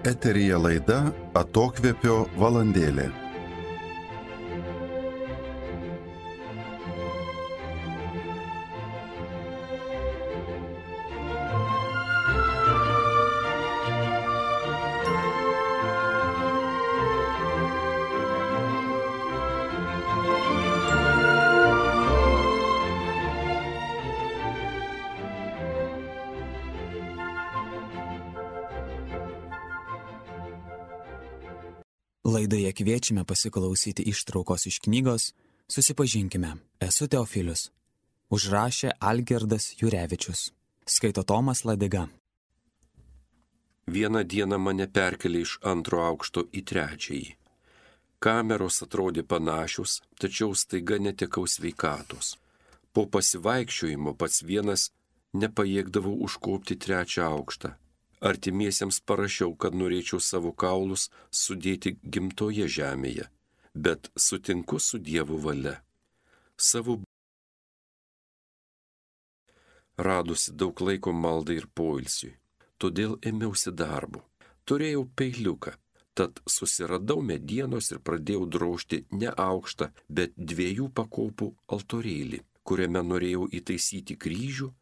Eteryje laida Atokvėpio valandėlė. Laidoje kviečiame pasiklausyti ištraukos iš knygos Susipažinkime. Esu Teofilius. Užrašė Algirdas Jurevičius. Skaito Tomas Ladiga. Vieną dieną mane perkelė iš 2 aukšto į 3. Kameros atrodė panašios, tačiau staiga netekau sveikatos. Po pasivaikščiojimo pats vienas nepajėgdavau užkopti 3 aukštą. Artimiesiems parašiau, kad norėčiau savo kaulus sudėti gimtoje žemėje, bet sutinku su Dievo valia. Savo radusi daug laiko maldai ir poilsiui, todėl ėmiausi darbo. Turėjau peiliuką, tad susiradau medienos ir pradėjau drožti ne aukštą, bet 2 pakopų altorėlį, kuriame norėjau įtaisyti kryžių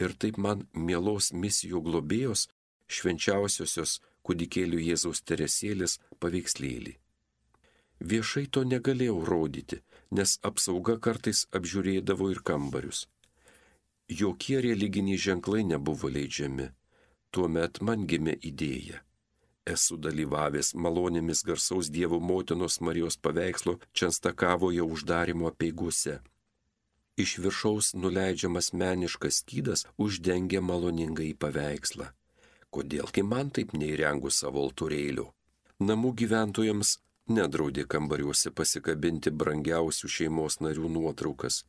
ir taip man mielos misijų globėjos švenčiausiosios kūdikėlių Jėzaus Teresėlės paveikslėlį. Viešai to negalėjau rodyti, nes apsauga kartais apžiūrėdavo ir kambarius. Jokie religiniai ženklai nebuvo leidžiami. Tuomet man gimė idėja. Esu dalyvavęs malonėmis garsaus Dievo motinos Marijos paveikslo Čenstakavoje uždarimo apeigose. Iš viršaus nuleidžiamas meniškas skydas uždengia maloningąjį paveikslą. Kodėlgi man taip neįrengus savo altorėlių? Namų gyventojams nedraudė kambariuose pasikabinti brangiausių šeimos narių nuotraukas,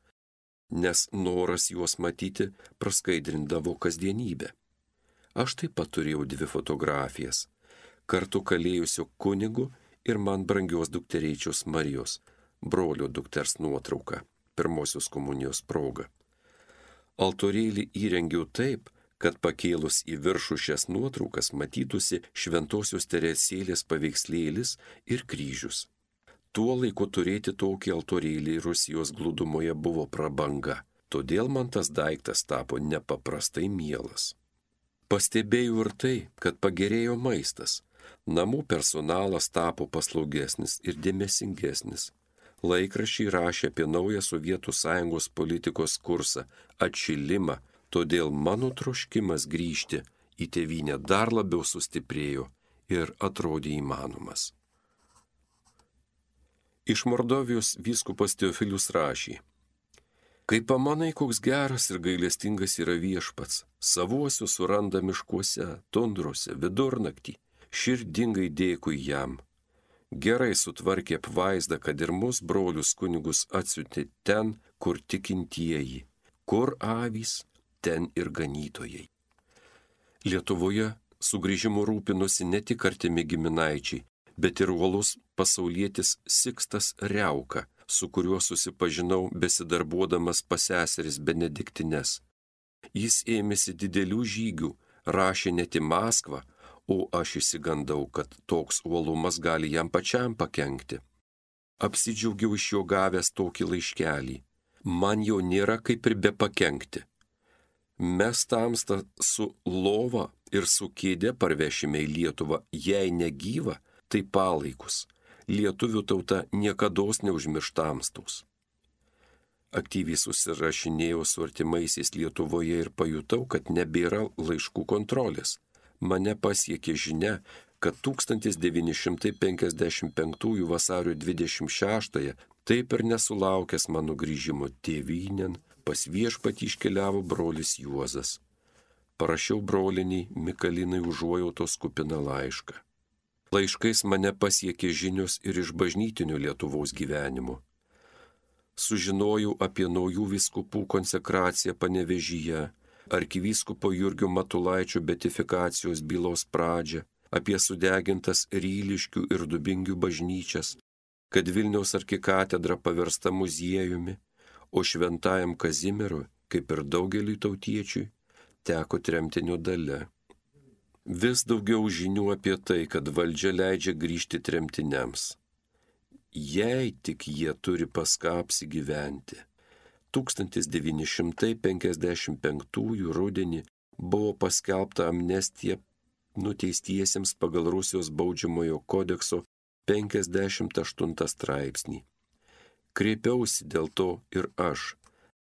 nes noras juos matyti praskaidrindavo kasdienybę. Aš taip pat turėjau 2 fotografijas, kartu kalėjusio kunigu ir man brangios dukterėčios Marijos, brolio dukters nuotrauką, pirmosios komunijos proga. Altorėlį įrengiau taip, kad pakėlus į viršų šias nuotraukas matytųsi Šventosios Teresėlės paveikslėlis ir kryžius. Tuo laiku turėti tokį altorėlį Rusijos glūdumoje buvo prabanga, todėl man tas daiktas tapo nepaprastai mielas. Pastebėjau ir tai, kad pagerėjo maistas, namų personalas tapo paslaugesnis ir dėmesingesnis. Laikraščiai rašė apie naują Sovietų Sąjungos politikos kursą – atšilimą, todėl mano troškimas grįžti į tėvynę dar labiau sustiprėjo ir atrodė įmanomas. Iš Mordovijos vyskupas Teofilius rašė: Kai pamanai, koks geras ir gailestingas yra viešpats, savuosius suranda miškuose, tundrose, vidurnaktį, širdingai dėkui jam. Gerai sutvarkė apvaizdą, kad ir mus brolius kunigus atsiuntė ten, kur tikintieji, kur avys, ten ir ganytojai. Lietuvoje sugrįžimu rūpinosi ne tik artimi giminaičiai, bet ir uolus pasaulietis Sikstas Riauka, su kuriuo susipažinau besidarbuodamas pas seseris Benediktines. Jis ėmėsi didelių žygių, rašė net į Maskvą, o aš išsigandau, kad toks uolumas gali jam pačiam pakenkti. Apsidžiaugiau iš jo gavęs tokį laiškelį. Man jo nėra kaip ir be pakenkti. Mes tamstą su lova ir su kėde parvešime į Lietuvą, jei negyva, tai palaikus. Lietuvių tauta niekados neužmirš tamstaus. Aktyviai susirašinėjau su artimaisiais Lietuvoje ir pajutau, kad nebėra laiškų kontrolės. Mane pasiekė žinia, kad 1955 vasario 26 taip ir nesulaukęs mano grįžimo tėvynėn, pas viešpatį iškeliavo brolis Juozas. Parašiau broliniai Mikalinai užuojautos kupiną laišką. Laiškais mane pasiekė žinios ir iš bažnytinio Lietuvos gyvenimo. Sužinojau apie naujų vyskupų konsekraciją Panevėžyje, arkivyskupo Jurgio Matulaičio beatifikacijos bylos pradžią, apie sudegintas Ryliškių ir Dubingių bažnyčias, kad Vilniaus arkikatedra paversta muziejumi, o šventajam Kazimierui, kaip ir daugeliui tautiečiui, teko tremtinio dalia. Vis daugiau žinių apie tai, kad valdžia leidžia grįžti tremtiniams. Jei tik jie turi pas ką apsigyventi. 1955 rudenį buvo paskelbta amnestija nuteistiesiems pagal Rusijos baudžiamojo kodekso 58 straipsnį. Kreipiausi dėl to ir aš,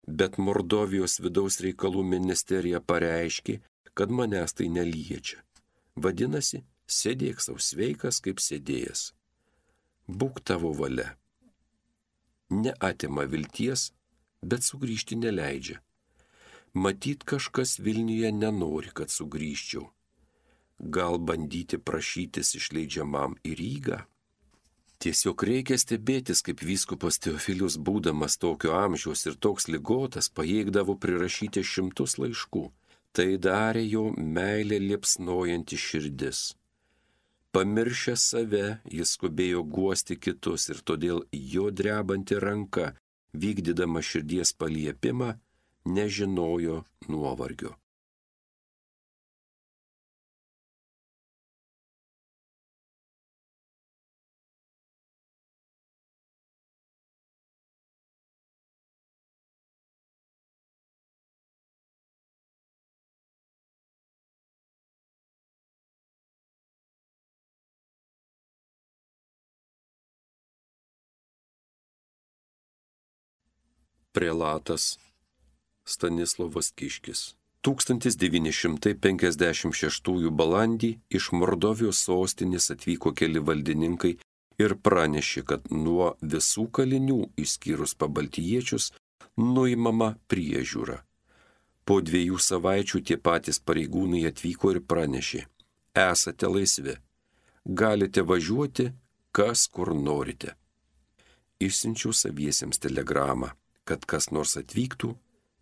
bet Mordovijos vidaus reikalų ministerija pareiškė, kad manęs tai neliečia. Vadinasi, sėdėk sau sveikas kaip sėdėjęs. Būk tavo valia. Neatima vilties, bet sugrįžti neleidžia. Matyt, kažkas Vilniuje nenori, kad sugrįžčiau. Gal bandyti prašytis išleidžiamam į Rygą? Tiesiog reikia stebėtis, kaip vyskupas Teofilius, būdamas tokio amžiaus ir toks ligotas, pajėgdavo prirašyti 100 laiškų. Tai darė jo meilė liepsnojanti širdis. Pamiršęs save, jis skubėjo guosti kitus ir todėl jo drebanti ranka, vykdydama širdies paliepimą, nežinojo nuovargio. Prelatas Stanislovas Kiškis. 1956 balandį iš Mordovijos sostinės atvyko keli valdininkai ir pranešė, kad nuo visų kalinių, išskyrus pabaltijiečius, nuimama priežiūra. Po 2 savaičių tie patys pareigūnai atvyko ir pranešė: esate laisvi, galite važiuoti, kas kur norite. Išsiunčiau saviesiems telegramą, kad kas nors atvyktų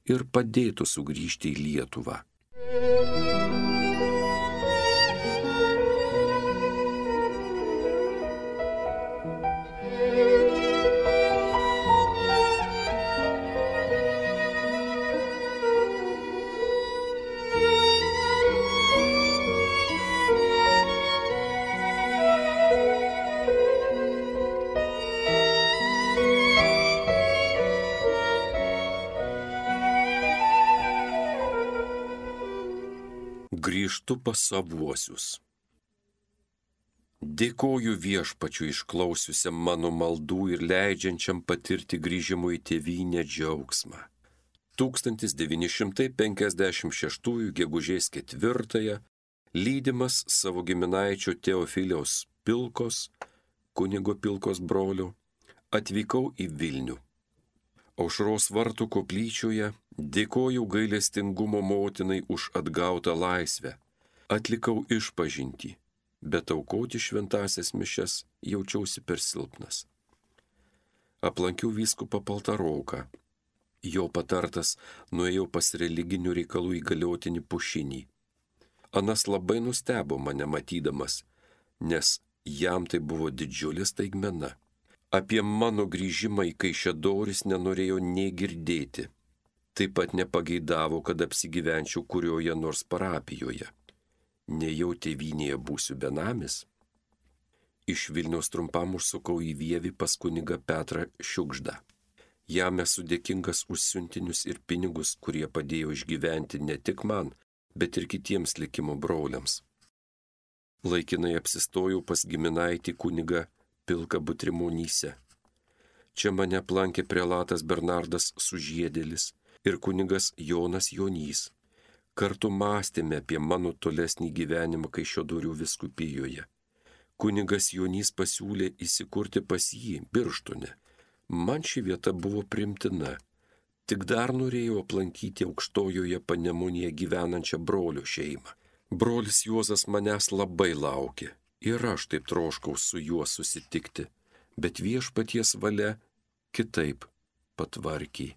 ir padėtų sugrįžti į Lietuvą. Grįžtu pas savuosius. Dėkoju Viešpačiui išklausiusiam mano maldų ir leidžiančiam patirti grįžimo į tėvynę džiaugsmą. 1956 gegužės 4 lydimas savo giminaičio Teofiliaus Pilkos, kunigo Pilkos brolio, atvykau į Vilnių. Aušros vartų koplyčioje dėkojau gailestingumo motinai už atgautą laisvę. Atlikau išpažintį, bet aukoti šventąsias mišias jaučiausi per silpnas. Aplankiau vyskupą Paltaroką. Jo patartas nuėjau pas religinių reikalų įgaliotinį Pušinį. Anas labai nustebo mane matydamas, nes jam tai buvo didžiulė staigmena. Apie mano grįžimą į Kaišiadoris nenorėjo nei girdėti. Taip pat nepageidavo, kad apsigyvenčiau kurioje nors parapijoje. Nejau tėvynėje būsiu benamis. Iš Vilniaus trumpam užsukau į Vievį pas kunigą Petrą Šiugždą. Jam esu dėkingas už siuntinius ir pinigus, kurie padėjo išgyventi ne tik man, bet ir kitiems likimo broliams. Laikinai apsistojau pas giminaitį kunigą Pilką Butrimonyse. Čia mane aplankė prelatas Bernardas Sužiedėlis ir kunigas Jonas Jonys. Kartu mąstėme apie mano tolesnį gyvenimą Kaišiadorių vyskupijoje. Kunigas Jonys pasiūlė įsikurti pas jį Birštone. Man ši vieta buvo primtina. Tik dar norėjau aplankyti Aukštojoje Panemunėje gyvenančią brolio šeimą. Brolis Juozas manęs labai laukė ir aš taip troškau su juo susitikti, bet Viešpaties valia kitaip patvarkė.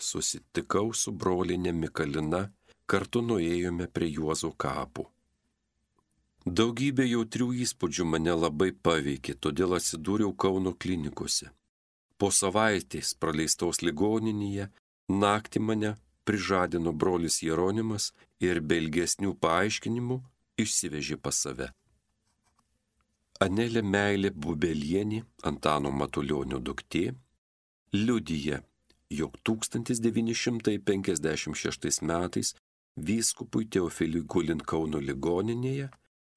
Susitikau su brolinė Mikalina, kartu nuėjome prie Juozo kapų. Daugybė jautrių įspūdžių mane labai paveikė, todėl atsidūriau Kauno klinikose. Po savaitės praleistos ligoninėje naktį mane prižadino brolis Jeronimas ir be ilgesnių paaiškinimų išsivežė pas save. Anelė Meilė Bubelienė, Antano Matulionio duktė, liudija, jog 1956 metais vyskupui Teofiliui gulint Kauno ligoninėje,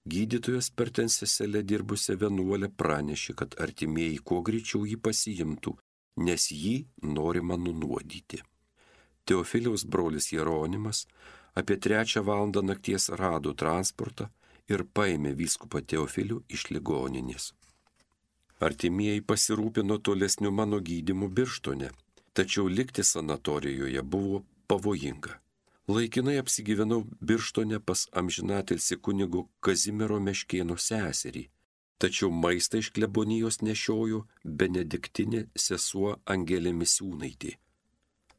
gydytojas per ten seselę dirbusią vienuolę pranešė, kad artimieji kuo greičiau jį pasiimtų, nes jį norima nunuodyti. Teofiliaus brolis Jeronimas apie 3 valandą nakties rado transportą ir paėmė vyskupą Teofilių iš ligoninės. Artimieji pasirūpino tolesniu mano gydymu Birštone, tačiau likti sanatorijoje buvo pavojinga. Laikinai apsigyvenau Birštone pas amžinatilsį kunigo Kazimiero Meškėno seserį, tačiau maistą iš klebonijos nešiojo benediktinė sesuo Angelė Misiūnaitė.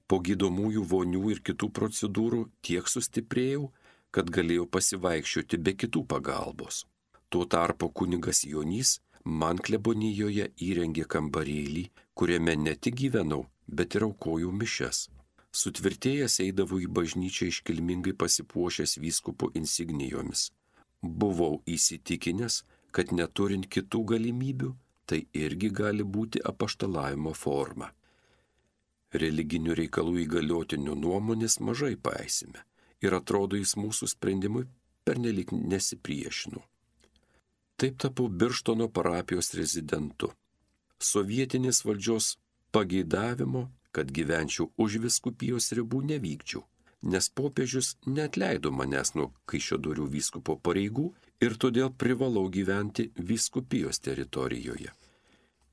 Po gydomųjų vonių ir kitų procedūrų tiek sustiprėjau, kad galėjau pasivaikščioti be kitų pagalbos. Tuo tarpu kunigas Jonys man klebonijoje įrengė kambarėlį, kuriame ne tik gyvenau, bet ir aukojau mišias. Sutvirtėjęs eidavau į bažnyčią iškilmingai pasipuošęs vyskupo insignijomis. Buvau įsitikinęs, kad neturint kitų galimybių, tai irgi gali būti apaštalavimo forma. Religinių reikalų įgaliotinių nuomonės mažai paisime ir atrodo jis mūsų sprendimui pernelyg nesipriešino. Taip tapau Birštono parapijos rezidentu. Sovietinės valdžios pageidavimo, kad gyvenčiau už vyskupijos ribų, nevykčiau, nes popiežius neatleido manęs nuo Kaišiadorių vyskupo pareigų ir todėl privalau gyventi vyskupijos teritorijoje.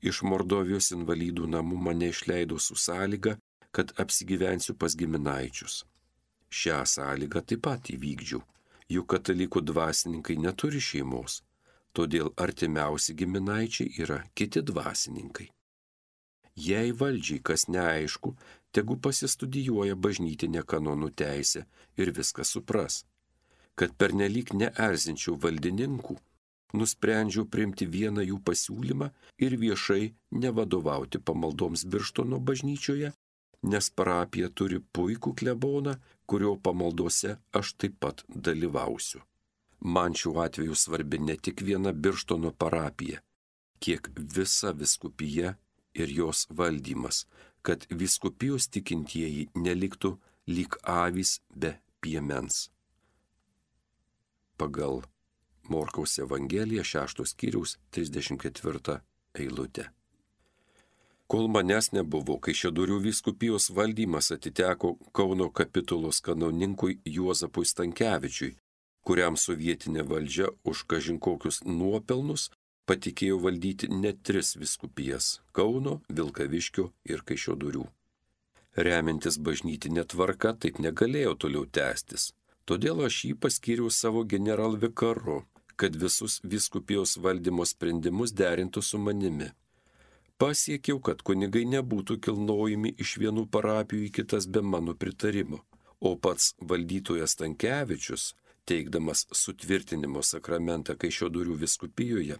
Iš Mordovijos invalidų namų mane išleido su sąlyga, kad apsigyvensiu pas giminaičius. Šią sąlygą taip pat įvykdžiau, juk katalikų dvasininkai neturi šeimos, todėl artimiausi giminaičiai yra kiti dvasininkai. Jei valdžiai kas neaišku, tegu pasistudijuoja bažnytinę kanonų teisę ir viską supras. Kad pernelyg neerzinčiau valdininkų, nusprendžiau priimti vieną jų pasiūlymą ir viešai nevadovauti pamaldoms Birštono bažnyčioje, nes parapija turi puikų kleboną, kurio pamaldose aš taip pat dalyvausiu. Man šiuo atveju svarbi ne tik viena Birštono parapija, kiek visa vyskupija ir jos valdymas, kad vyskupijos tikintieji neliktų lyg avys be piemens. Pagal Morkaus Evangeliją 6 skyriaus 34 eilutė. Kol manęs nebuvo, Kaišiadorių vyskupijos valdymas atiteko Kauno kapitulos kanoninkui Juozapui Stankevičiui, kuriam sovietinė valdžia už kažin kokius nuopelnus patikėjo valdyti net 3 vyskupijas – Kauno, Vilkaviškio ir Kaišiadorių. Remiantis bažnytinė tvarka taip negalėjo toliau tęstis, todėl aš jį paskyriau savo generalvikaru, kad visus vyskupijos valdymo sprendimus derintų su manimi. Pasiekiau, kad kunigai nebūtų kilnojami iš vienų parapijų į kitas be mano pritarimo, o pats valdytojas Stankevičius, teikdamas sutvirtinimo sakramentą Kaišiadorių vyskupijoje,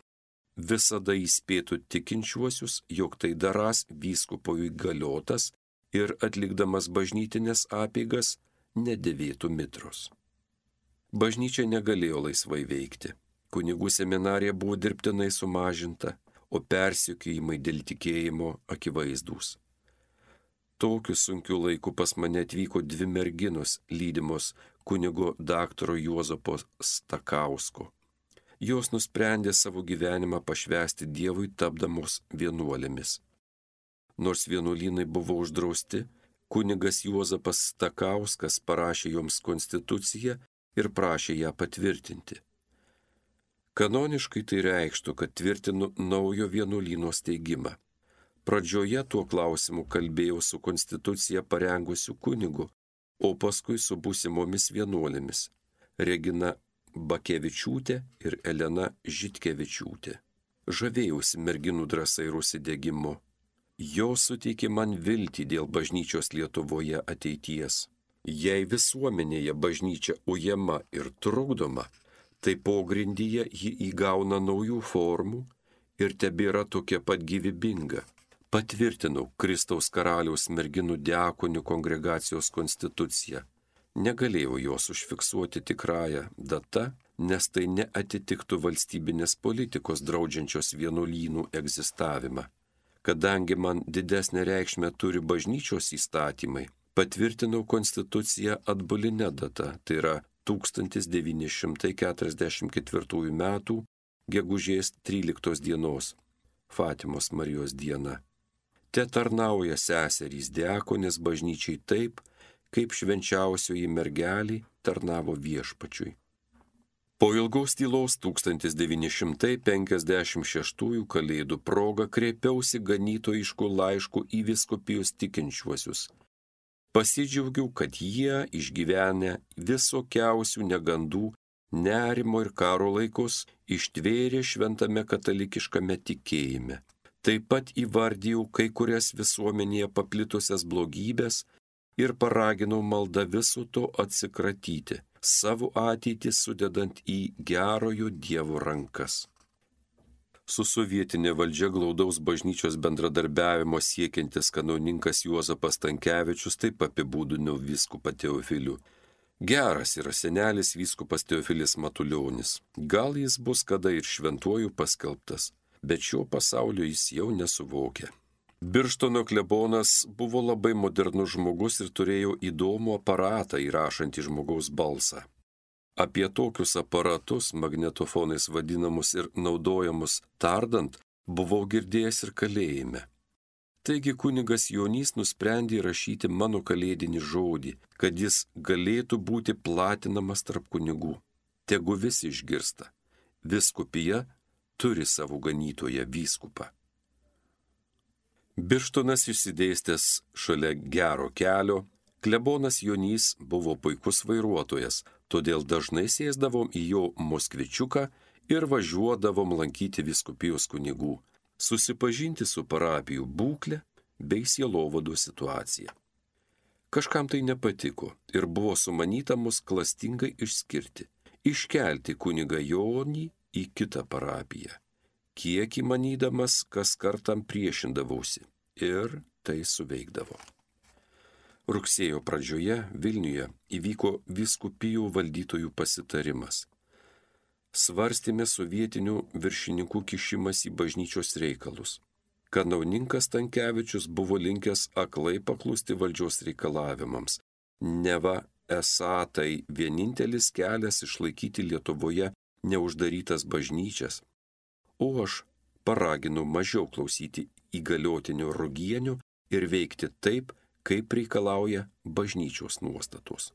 visada įspėtų tikinčiuosius, jog tai darąs vyskupo įgaliotas ir atlikdamas bažnytinės apeigas nedėvėtų mitros. Bažnyčia negalėjo laisvai veikti. Kunigų seminarija buvo dirbtinai sumažinta, o persekiojimai dėl tikėjimo akivaizdūs. Tokiu sunkiu laiku pas mane atvyko 2 merginos lydimos kunigo daktaro Juozapo Stakausko. Jos nusprendė savo gyvenimą pašvęsti Dievui tapdamos vienuolėmis. Nors vienuolynai buvo uždrausti, kunigas Juozapas Stakauskas parašė joms konstituciją ir prašė ją patvirtinti. Kanoniškai tai reikštų, kad tvirtinu naujo vienuolyno steigimą. Pradžioje tuo klausimu kalbėjau su konstituciją parengusiu kunigu, o paskui su būsimomis vienuolėmis – Regina Bakevičiūtė ir Elena Žitkevičiūtė. Žavėjausi merginų drąsa ir užsidegimu. Jos suteikė man viltį dėl bažnyčios Lietuvoje ateities. Jei visuomenėje bažnyčia ujama ir trukdoma, tai pogrindyje ji įgauna naujų formų ir tebėra tokia pat gyvybinga. Patvirtinau Kristaus karaliaus merginų diakonių kongregacijos konstituciją. Negalėjau jos užfiksuoti tikrąją data, nes tai neatitiktų valstybinės politikos draudžiančios vienuolynų egzistavimą. Kadangi man didesnę reikšmę turi bažnyčios įstatymai, patvirtinau konstituciją atbuline data, tai yra 1944 metų gegužės 13 dienos, Fatimos Marijos diena. Te tarnauja seserys diakonės bažnyčiai taip, kaip švenčiausioji mergelė tarnavo viešpačiui. Po ilgaus tylos 1956 Kalėdų proga kreipiausi ganytojišku laišku į vyskupijos tikinčiuosius. Pasidžiaugiau, kad jie išgyvenę visokiausių negandų, nerimo ir karo laikus ištvėrė šventame katalikiškame tikėjime. Taip pat įvardijau kai kurias visuomenėje paplitusias blogybės ir paraginau maldą viso to atsikratyti, savo ateitį sudedant į gerojo Dievo rankas. Su sovietinė valdžia glaudaus bažnyčios bendradarbiavimo siekiantis kanauninkas Juozapas Stankevičius taip apibūdino vyskupą Teofilių. Geras yra senelis vyskupas Teofilis Matulionis. Gal jis bus kada ir šventuoju paskelbtas, bet šio pasaulio jis jau nesuvokia. Birštono klebonas buvo labai modernus žmogus ir turėjo įdomų aparatą įrašantį žmogaus balsą. Apie tokius aparatus, magnetofonais vadinamus ir naudojamus tardant, buvau girdėjęs ir kalėjime. Taigi kunigas Jonys nusprendė rašyti mano kalėdinį žodį, kad jis galėtų būti platinamas tarp kunigų. Tegu visi išgirsta. Vyskupija turi savo ganytoją vyskupą. Birštonas išsidėstęs šalia gero kelio, klebonas Jonys buvo puikus vairuotojas, todėl dažnai sėsdavom į jo moskvičiuką ir važiuodavom lankyti vyskupijos kunigų, susipažinti su parapijų būklė bei sielovado situacija. Kažkam tai nepatiko ir buvo sumanyta mus klastingai išskirti, iškelti kunigą Jonį į kitą parapiją. Kiek įmanydamas, kas kartam priešindavausi ir tai suveikdavo. Rugsėjo pradžioje Vilniuje įvyko vyskupijų valdytojų pasitarimas. Svarstėme sovietinių viršininkų kišimas į bažnyčios reikalus. Kanauninkas Stankevičius buvo linkęs aklai paklusti valdžios reikalavimams. Neva esą tai vienintelis kelias išlaikyti Lietuvoje neuždarytas bažnyčias. O aš paraginu mažiau klausyti įgaliotinio Rugienio ir veikti taip, kaip reikalauja bažnyčios nuostatos.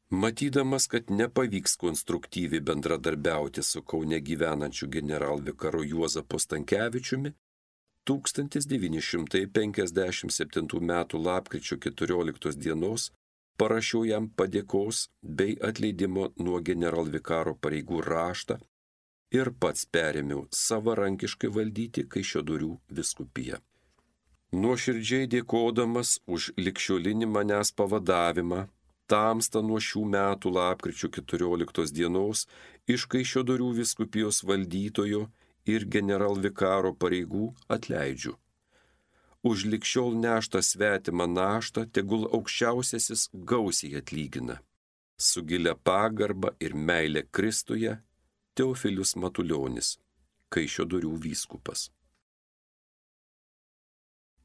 Matydamas, kad nepavyks konstruktyviai bendradarbiauti su Kaune gyvenančiu generalvikaru Juozapu Stankevičiumi, 1957 m. lapkričio 14 dienos parašiau jam padėkos bei atleidimo nuo generalvikaro pareigų raštą ir pats perėmiau savarankiškai valdyti Kaišiadorių vyskupiją. Nuoširdžiai dėkodamas už ligšiolinį manęs pavadavimą, tamsta nuo šių metų lapkričio 14 dienos iš Kaišiadorių vyskupijos valdytojo ir generalvikaro pareigų atleidžiu. Už ligšiol neštą svetimą naštą tegul aukščiausiasis gausiai atlygina. Su gilia pagarba ir meile Kristuje Teofilius Matulionis, Kaišiadorių vyskupas.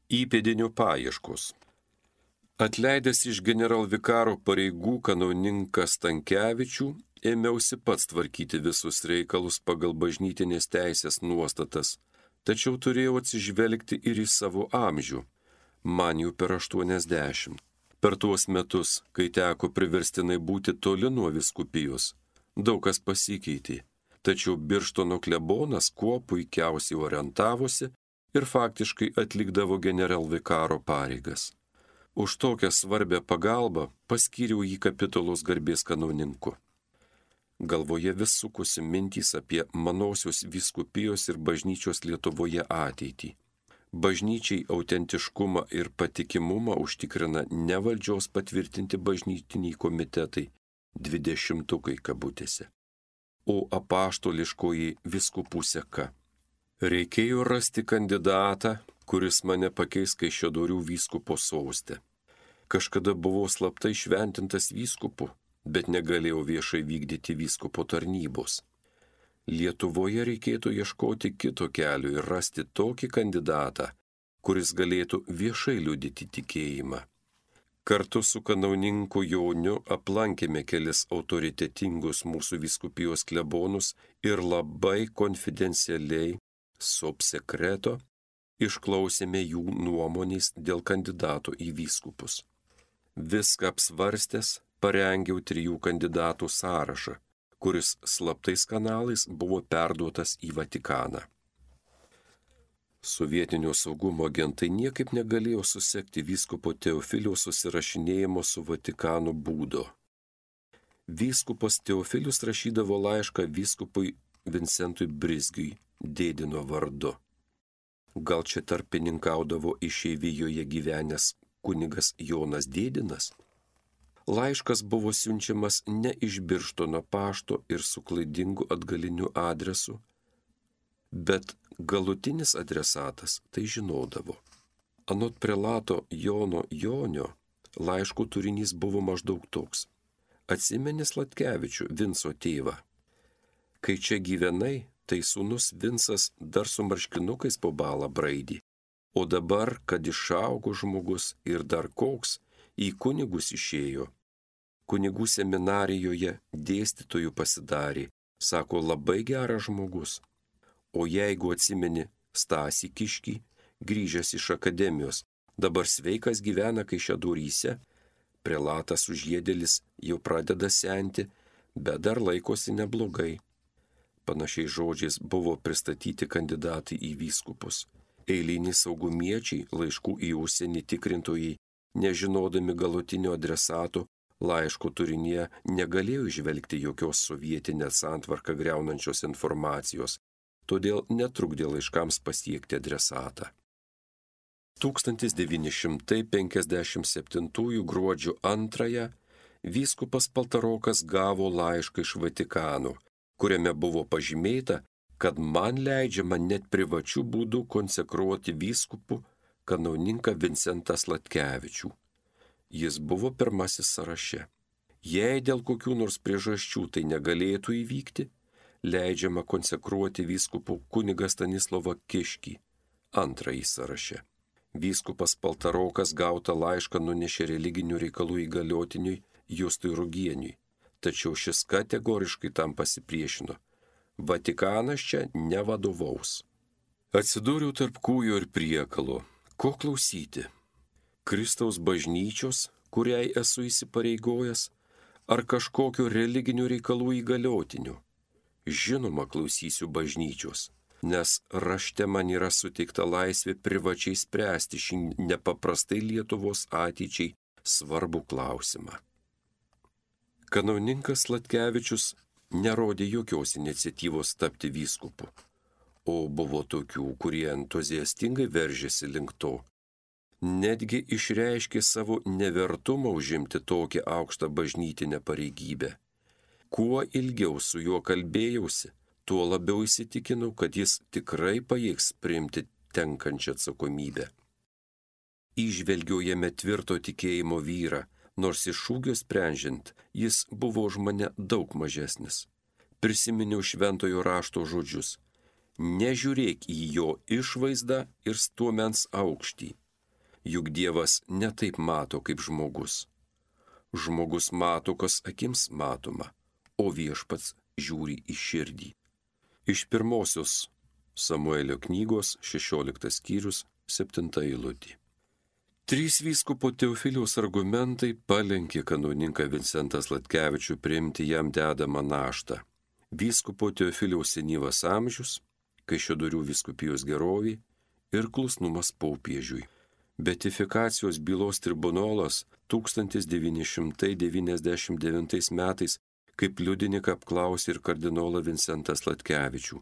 Įpėdinio paieškos. Atleidęs iš generalvikaro pareigų kanauninką Stankevičių, ėmiausi pats tvarkyti visus reikalus pagal bažnytinės teisės nuostatas, tačiau turėjau atsižvelgti ir į savo amžių, man jau per 80. Per tuos metus, kai teko priverstinai būti toli nuo vyskupijos, daug kas pasikeitė, tačiau Birštono klebonas kuo puikiausiai orientavosi ir faktiškai atlikdavo generalvikaro pareigas. Už tokią svarbę pagalbą paskyriau jį kapitulos garbės kanauninku. Galvoje vis sukosi mintys apie manosios vyskupijos ir bažnyčios Lietuvoje ateitį. Bažnyčiai autentiškumą ir patikimumą užtikrina ne valdžios patvirtinti bažnytiniai komitetai, 20-tukai kabutėse, o apaštališkoji vyskupų seka. Reikėjo rasti kandidatą, kuris mane pakeis Kaišiadorių vyskupo soste. Kažkada buvau slaptai šventintas vyskupu, bet negalėjo viešai vykdyti vyskupo tarnybos. Lietuvoje reikėtų ieškoti kito kelio ir rasti tokį kandidatą, kuris galėtų viešai liudyti tikėjimą. Kartu su kanauninku Joniu aplankėme kelis autoritetingus mūsų vyskupijos klebonus ir labai konfidencialiai, sub secreto, išklausėme jų nuomonės dėl kandidato į vyskupus. Viską apsvarstęs, parengiau 3 kandidatų sąrašą, kuris slaptais kanalais buvo perduotas į Vatikaną. Sovietinio saugumo agentai niekaip negalėjo susekti vyskupo Teofiliaus susirašinėjimo su Vatikanu būdo. Vyskupas Teofilius rašydavo laišką vyskupui Vincentui Brizgiui, Dėdino vardu. Gal čia tarpininkaudavo išeivijoje gyvenęs kunigas Jonas Dėdinas? Laiškas buvo siunčiamas ne iš Birštono pašto ir su klaidingu atgaliniu adresu, bet galutinis adresatas tai žinodavo. Anot prelato Jono Jonio, laiško turinys buvo maždaug toks. Atsimeni Sladkevičių, Vinco tėvą. Kai čia gyvenai, tai sūnus Vincas dar su marškinukais po balą braidį. O dabar, kad išaugo žmogus ir dar koks, į kunigus išėjo. Kunigų seminarijoje dėstytojų pasidarė, sako, labai geras žmogus. O jeigu atsimeni Stasį Kiškį, grįžęs iš akademijos, dabar sveikas gyvena Kaišiadoryse, prelatas užjėdelis jau pradeda senti, bet dar laikosi neblogai. Panašiais žodžiais buvo pristatyti kandidatai į vyskupus. Eiliniai saugumiečiai, laiškų į užsienį tikrintojai, nežinodami galutinio adresato, laiško turinyje negalėjo įžvelgti jokios sovietinę santvarką griaunančios informacijos, todėl netrukdė laiškams pasiekti adresatą. 1957 gruodžio 2 vyskupas Paltarokas gavo laišką iš Vatikano, kuriame buvo pažymėta, kad man leidžiama net privačių būdų konsekruoti vyskupų kanauninką Vincentą Sladkevičių. Jis buvo pirmasis sąraše. Jei dėl kokių nors priežasčių tai negalėtų įvykti, leidžiama konsekruoti vyskupų kunigą Stanislovą Kiškį, antrąjį sąraše. Vyskupas Paltarokas gautą laišką nunešė religinių reikalų įgaliotiniui Justui Rugieniui, tačiau šis kategoriškai tam pasipriešino. Vatikanas čia nevadovaus. Atsidūriau tarp kūjo ir priekalo. Ko klausyti? Kristaus bažnyčios, kuriai esu įsipareigojęs, ar kažkokio religinių reikalų įgaliotinių? Žinoma, klausysiu bažnyčios, nes rašte man yra suteikta laisvė privačiai spręsti šį nepaprastai Lietuvos ateičiai svarbų klausimą. Kanauninkas Sladkevičius nerodė jokios iniciatyvos tapti vyskupu, o buvo tokių, kurie entuziastingai veržėsi link to. Netgi išreiškė savo nevertumą užimti tokią aukštą bažnytinę pareigybę. Kuo ilgiau su juo kalbėjausi, tuo labiau įsitikinau, kad jis tikrai pajėgs priimti tenkančią atsakomybę. Įžvelgiau jame tvirto tikėjimo vyrą, nors iš ūgio sprendžiant, jis buvo už mane daug mažesnis. Prisiminiau šventojo rašto žodžius. Nežiūrėk į jo išvaizdą ir stuomens aukštį. Juk Dievas netaip mato kaip žmogus. Žmogus mato, kas akims matoma, o viešpats žiūri į širdį. Iš 1 Samuelio knygos 16 skyrius 7 eilutė. 3 vyskupo Teofiliaus argumentai palenkė kanauninką Vincentą Sladkevičių priimti jam dedamą naštą. Vyskupo Teofiliaus senyvas amžius, Kaišiadorių vyskupijos gerovė ir klusnumas popiežiui. Beatifikacijos bylos tribunolas 1999 metais kaip liudininką apklausė ir kardinolą Vincentą Sladkevičių.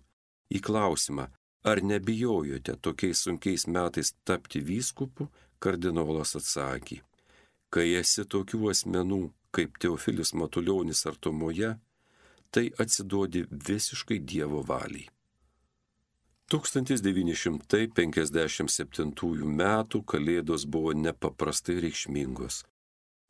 Į klausimą, ar nebijojote tokiais sunkiais metais tapti vyskupu, kardinolas atsakė, kai esi tokių asmenų kaip Teofilis Matulionis artumoje, tai atsiduodi visiškai Dievo valiai. 1957 metų kalėdos buvo nepaprastai reikšmingos.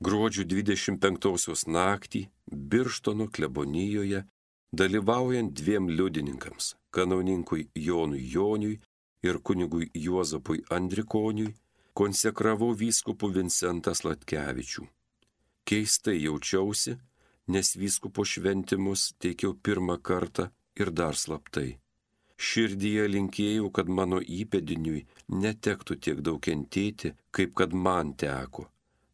Gruodžio 25 naktį Birštono klebonijoje, dalyvaujant 2 liudininkams, kanauninkui Jonui Joniui ir kunigui Juozapui Andrikoniui, konsekravau vyskupu Vincentą Sladkevičių. Keistai jaučiausi, nes vyskupo šventimus teikiau pirmą kartą ir dar slaptai. Širdyje linkėjau, kad mano įpėdiniui netektų tiek daug kentėti, kaip kad man teko,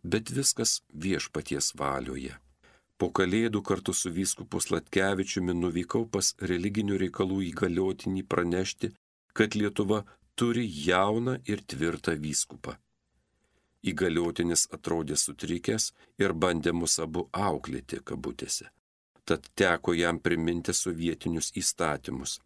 bet viskas viešpaties valioje. Po Kalėdų kartu su vyskupu Sladkevičiumi nuvykau pas religinių reikalų įgaliotinį pranešti, kad Lietuva turi jauną ir tvirtą vyskupą. Įgaliotinis atrodė sutrikęs ir bandė mus abu auklėti kabutėse. Tad teko jam priminti sovietinius įstatymus.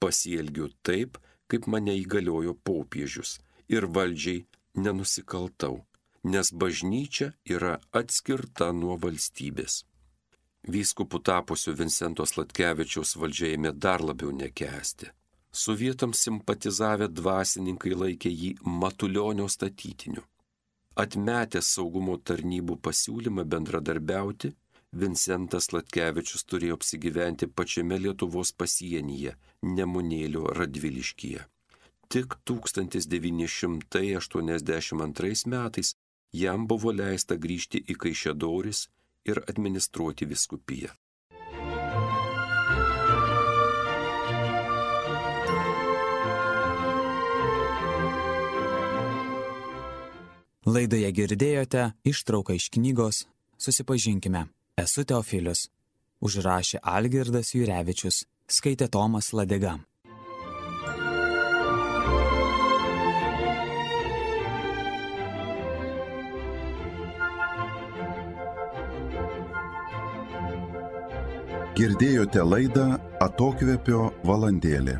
Pasielgiu taip, kaip mane įgaliojo popiežius, ir valdžiai nenusikaltau, nes bažnyčia yra atskirta nuo valstybės. Vyskupu tapusiu Vincento Sladkevičiaus valdžia ėmė dar labiau nekęsti. Sovietams simpatizavę dvasininkai laikė jį Matulionio statytiniu. Atmetęs saugumo tarnybų pasiūlymą bendradarbiauti, Vincentas Sladkevičius turėjo apsigyventi pačiame Lietuvos pasienyje, Nemunėlio Radviliškyje. Tik 1982 metais jam buvo leista grįžti į Kaišiadoris ir administruoti vyskupiją. Laidoje girdėjote ištrauką iš knygos Susipažinkime. Esu Teofilius. Užrašė Algirdas Jurevičius. Skaitė Tomas Ladega. Girdėjote laidą Atokvėpio valandėlė.